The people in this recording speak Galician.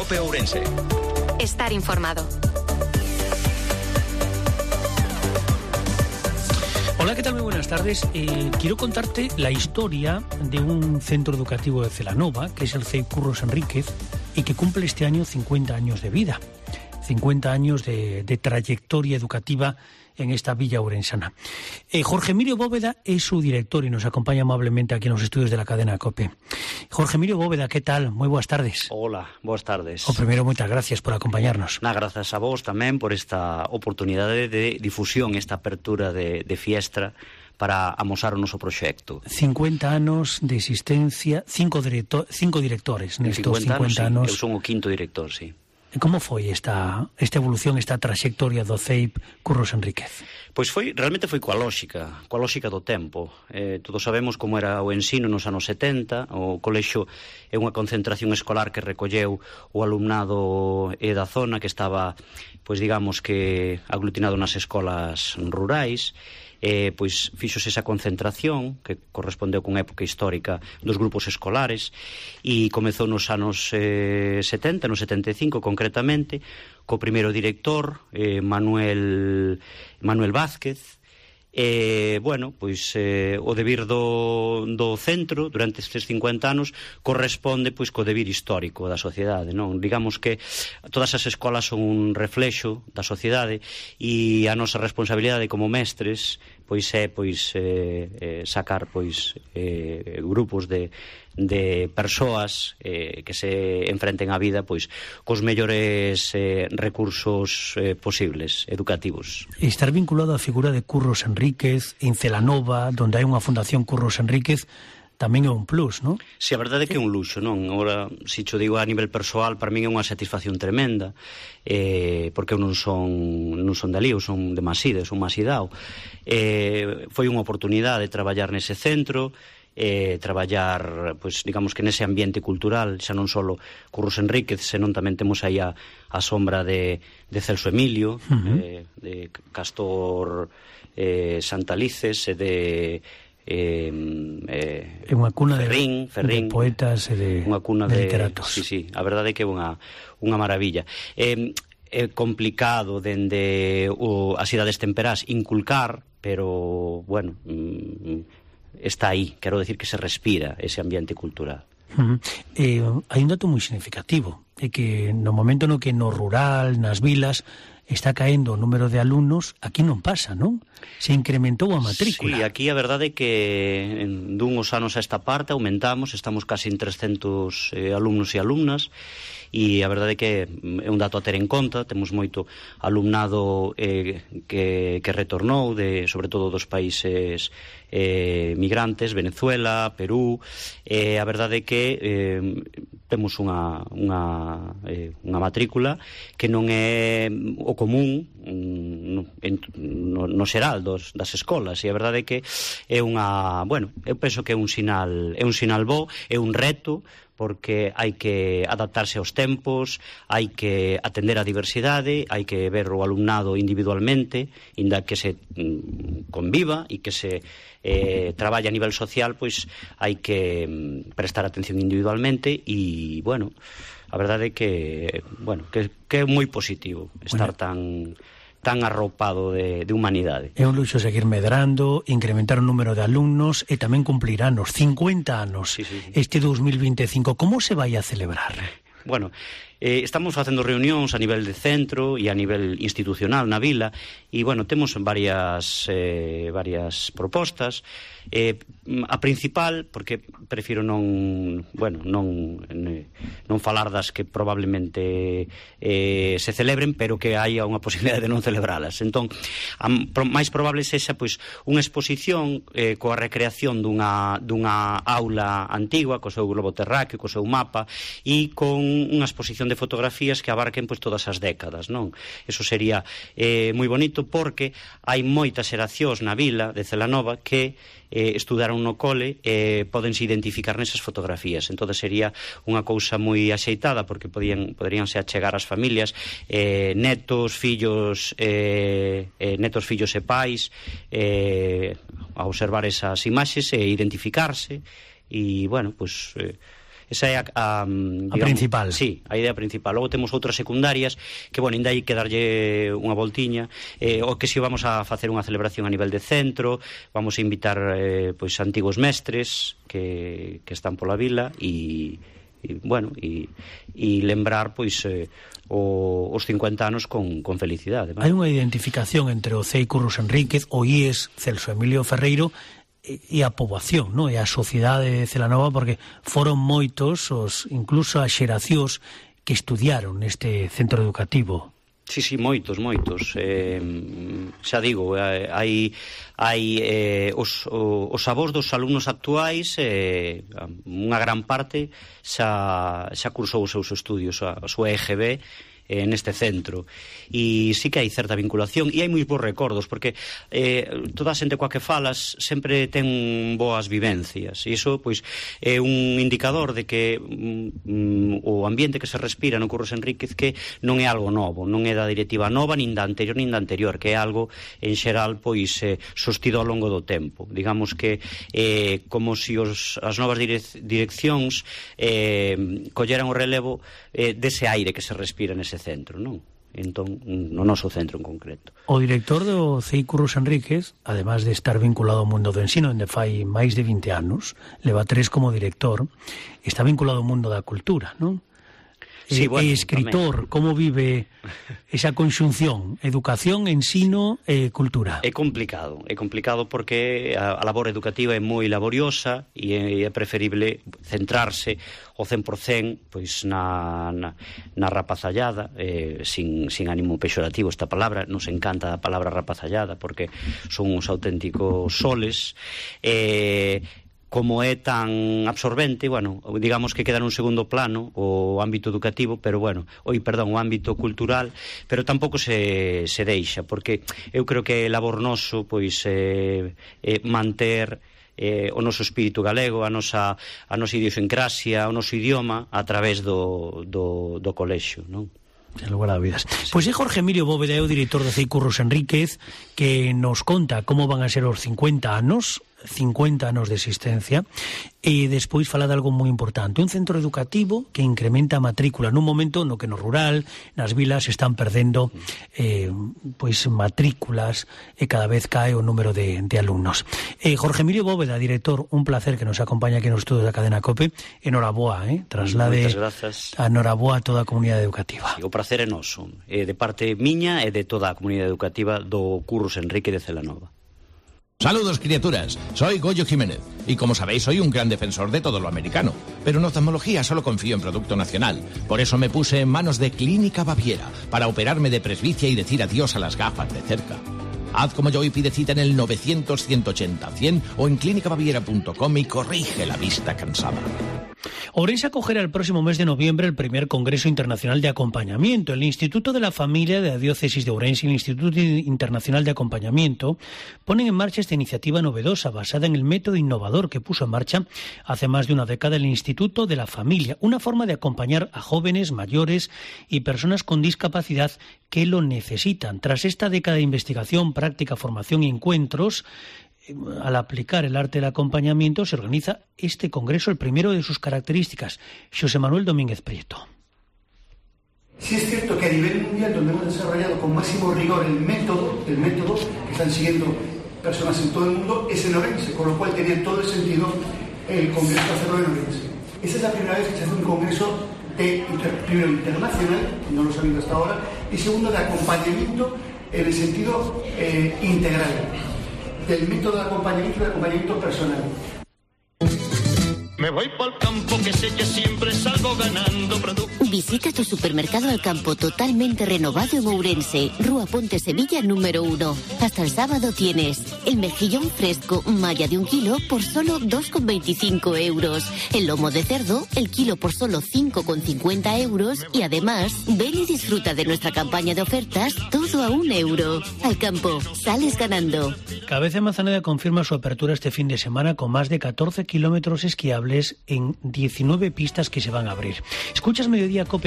COPE Ourense. Estar informado. Hola, ¿qué tal? Muy buenas tardes. Quiero contarte la historia de un centro educativo de Celanova, que es el CEIP Curros Enríquez, y que cumple este año 50 años de vida, 50 años de trayectoria educativa en esta villa ourensana. Jorge Emilio Bóveda es su director y nos acompaña amablemente aquí en los estudios de la cadena COPE. Jorge Emilio Bóveda, ¿qué tal? Moi boas tardes. Hola, boas tardes. O primeiro, moitas gracias por acompañarnos. Grazas a vos tamén por esta oportunidade de difusión, esta apertura de fiestra para amosar o noso proxecto. 50 anos de existencia, cinco directores nestos 50 anos. Eu son o quinto director, sí. Como foi esta evolución, esta traxectoria do CEIP Curros Enríquez? Pois realmente foi coa lóxica do tempo. Todos sabemos como era o ensino nos anos 70, o colexio é unha concentración escolar que recolleu o alumnado da zona que estaba, pois digamos que aglutinado nas escolas rurais. Pois fixose esa concentración que correspondeu con época histórica dos grupos escolares e comezou nos anos 70, no 75 concretamente, co primeiro director, Manuel Vázquez. O debir do centro durante estes 50 anos corresponde pois co debir histórico da sociedade, non? Digamos que todas as escolas son un reflexo da sociedade e a nosa responsabilidade como mestres pois é sacar grupos de persoas que se enfrenten á vida pois cos mellores recursos posibles, educativos. Estar vinculado á figura de Curros Enríquez en Celanova, donde hai unha fundación Curros Enríquez, tamén é un plus, non? Si, a verdade é que é un luxo, non? Agora, se cho digo a nivel persoal, para min é unha satisfacción tremenda, porque eu non son dali, eu son de Maside, son masidao. Foi unha oportunidade de traballar nese centro, traballar, pois, digamos que nese ambiente cultural, xa non só Curros Enríquez, senón tamén temos aí a sombra de Celso Emilio, de Castor Santalices e de unha cuna Ferrín, de poetas e de literatos. Sí, a verdade é que é unha maravilla. É complicado dende as idades temperás inculcar, pero, bueno, está aí, quero decir que se respira ese ambiente cultural. Hai un dato moi significativo, é que no momento no que no rural, nas vilas, está caendo o número de alumnos, aquí non pasa, non? Se incrementou a matrícula. Sí, aquí a verdade é que dunhos anos a esta parte aumentamos, estamos casi en 300 alumnos e alumnas, e a verdade é que é un dato a ter en conta. Temos moito alumnado que retornou, sobre todo dos países migrantes, Venezuela, Perú. A verdade é que temos unha matrícula que non é o común no xeral das escolas, e a verdade é que é eu penso que é un sinal bo, é un reto, porque hai que adaptarse aos tempos, hai que atender a diversidade, hai que ver o alumnado individualmente, inda que se conviva e que se traballe a nivel social, pois hai que prestar atención individualmente e, bueno, a verdade é que é moi positivo estar tan arropado de humanidade. É un luxo seguir medrando, incrementar o número de alumnos e tamén cumplir anos, 50 anos, sí. Este 2025. Como se vai a celebrar? Bueno, estamos facendo reunións a nivel de centro e a nivel institucional na vila e, bueno, temos varias propostas. A principal, porque prefiro non falar das que probablemente se celebren, pero que haya unha posibilidade de non celebralas. Entón, máis probable sexa pois unha exposición coa recreación dunha aula antigua, co seu globo terráqueo, co seu mapa, e con unha exposición de fotografías que abarquen pois todas as décadas, non? Eso sería moi bonito, porque hai moitas xeracións na vila de Celanova que estudaron no cole e podense identificar nesas fotografías. Entón sería unha cousa moi axeitada, porque poderíanse achegar as familias, netos, fillos e pais, a observar esas imaxes e identificarse. E, bueno, pois Esa é a principal. Sí, a idea principal. Logo temos outras secundarias que, bueno, ainda hai que darlle unha voltiña, o que si vamos a facer unha celebración a nivel de centro, vamos a invitar pois antigos mestres que están pola vila e lembrar pois os 50 anos con felicidade. Hai unha identificación entre o CEI Curros Enríquez, o IES Celso Emilio Ferreiro e a poboación, non? E a sociedade de Celanova, porque foron moitos incluso as xeracións que estudiaron neste centro educativo. Sí, moitos. Xa digo, hai os avós dos alumnos actuais, unha gran parte xa cursou os seus estudios, a súa EGB, neste centro, e sí que hai certa vinculación e hai moi bons recordos, porque toda a xente coa que falas sempre ten boas vivencias, e iso pois é un indicador de que o ambiente que se respira no Curros Enríquez que non é algo novo, non é da directiva nova nin da anterior, que é algo en xeral pois sostido ao longo do tempo. Digamos que como se as novas direccións colleran o relevo dese aire que se respira nese centro, non? Entón, no noso centro en concreto. O director do CEI Curros Enríquez, además de estar vinculado ao mundo do ensino, onde fai máis de 20 anos, leva 3 como director, está vinculado ao mundo da cultura, non? Sí, bueno, escritor, como vive esa conxunción, educación, ensino e cultura? É complicado porque a labor educativa é moi laboriosa e é preferible centrarse o 100% pois na rapazallada, sin ánimo pexorativo esta palabra, nos encanta a palabra rapazallada porque son uns auténticos soles, como é tan absorbente, bueno, digamos que queda nun segundo plano o ámbito educativo, pero bueno, o ámbito cultural, pero tampouco se deixa, porque eu creo que é labor noso pois manter o noso espírito galego, a nosa idiosincrasia, o noso idioma a través do colexio, non? En lugar a vidas. Pois é Jorge Emilio Bóveda, o director do CEI Curros Enríquez, que nos conta como van a ser os 50 anos de existencia, e despois fala de algo moi importante, un centro educativo que incrementa a matrícula nun momento no que no rural, nas vilas están perdendo pois matrículas e cada vez cae o número de alumnos. Jorge Emilio Bóveda, director, un placer que nos acompaña aquí nos estudios da cadena COPE. Enhoraboa, traslade a enhoraboa a toda a comunidade educativa. O prazer é noso, de parte miña e de toda a comunidade educativa do Curros Enrique de Celanova. Saludos, criaturas. Soy Goyo Jiménez y, como sabéis, soy un gran defensor de todo lo americano. Pero en oftalmología solo confío en producto nacional. Por eso me puse en manos de Clínica Baviera para operarme de presbicia y decir adiós a las gafas de cerca. Haz como yo y pide cita en el 900-180-100 o en clínicabaviera.com y corrige la vista cansada. Ourense acogerá el próximo mes de noviembre el primer Congreso Internacional de Acompañamiento. El Instituto de la Familia de la Diócesis de Ourense y el Instituto Internacional de Acompañamiento ponen en marcha esta iniciativa novedosa basada en el método innovador que puso en marcha hace más de una década el Instituto de la Familia, una forma de acompañar a jóvenes, mayores y personas con discapacidad que lo necesitan. Tras esta década de investigación, práctica, formación y encuentros, al aplicar el arte del acompañamiento se organiza este congreso, el primero de sus características. José Manuel Domínguez Prieto. Sí es cierto que a nivel mundial, donde hemos desarrollado con máximo rigor el método que están siguiendo personas en todo el mundo, es en Ourense, con lo cual tenía todo el sentido el congreso hacerlo en Ourense. Esa es la primera vez que se hace un congreso primero internacional, no lo sabido hasta ahora, y segundo de acompañamiento en el sentido integral, del método de acompañamiento y de acompañamiento personal. Me voy por el campo que sé que siempre salgo ganando productos. Visita tu supermercado al campo totalmente renovado en Ourense, Rúa Ponte Sevilla número 1. Hasta el sábado tienes el mejillón fresco malla de 1 kilo por solo 2,25 euros. El lomo de cerdo, el kilo por solo 5,50 euros. Y además, ven y disfruta de nuestra campaña de ofertas, todo a 1 euro. Al campo, sales ganando. Cabeza Manzaneda confirma su apertura este fin de semana con más de 14 kilómetros esquiables en 19 pistas que se van a abrir. Escuchas Mediodía COPE.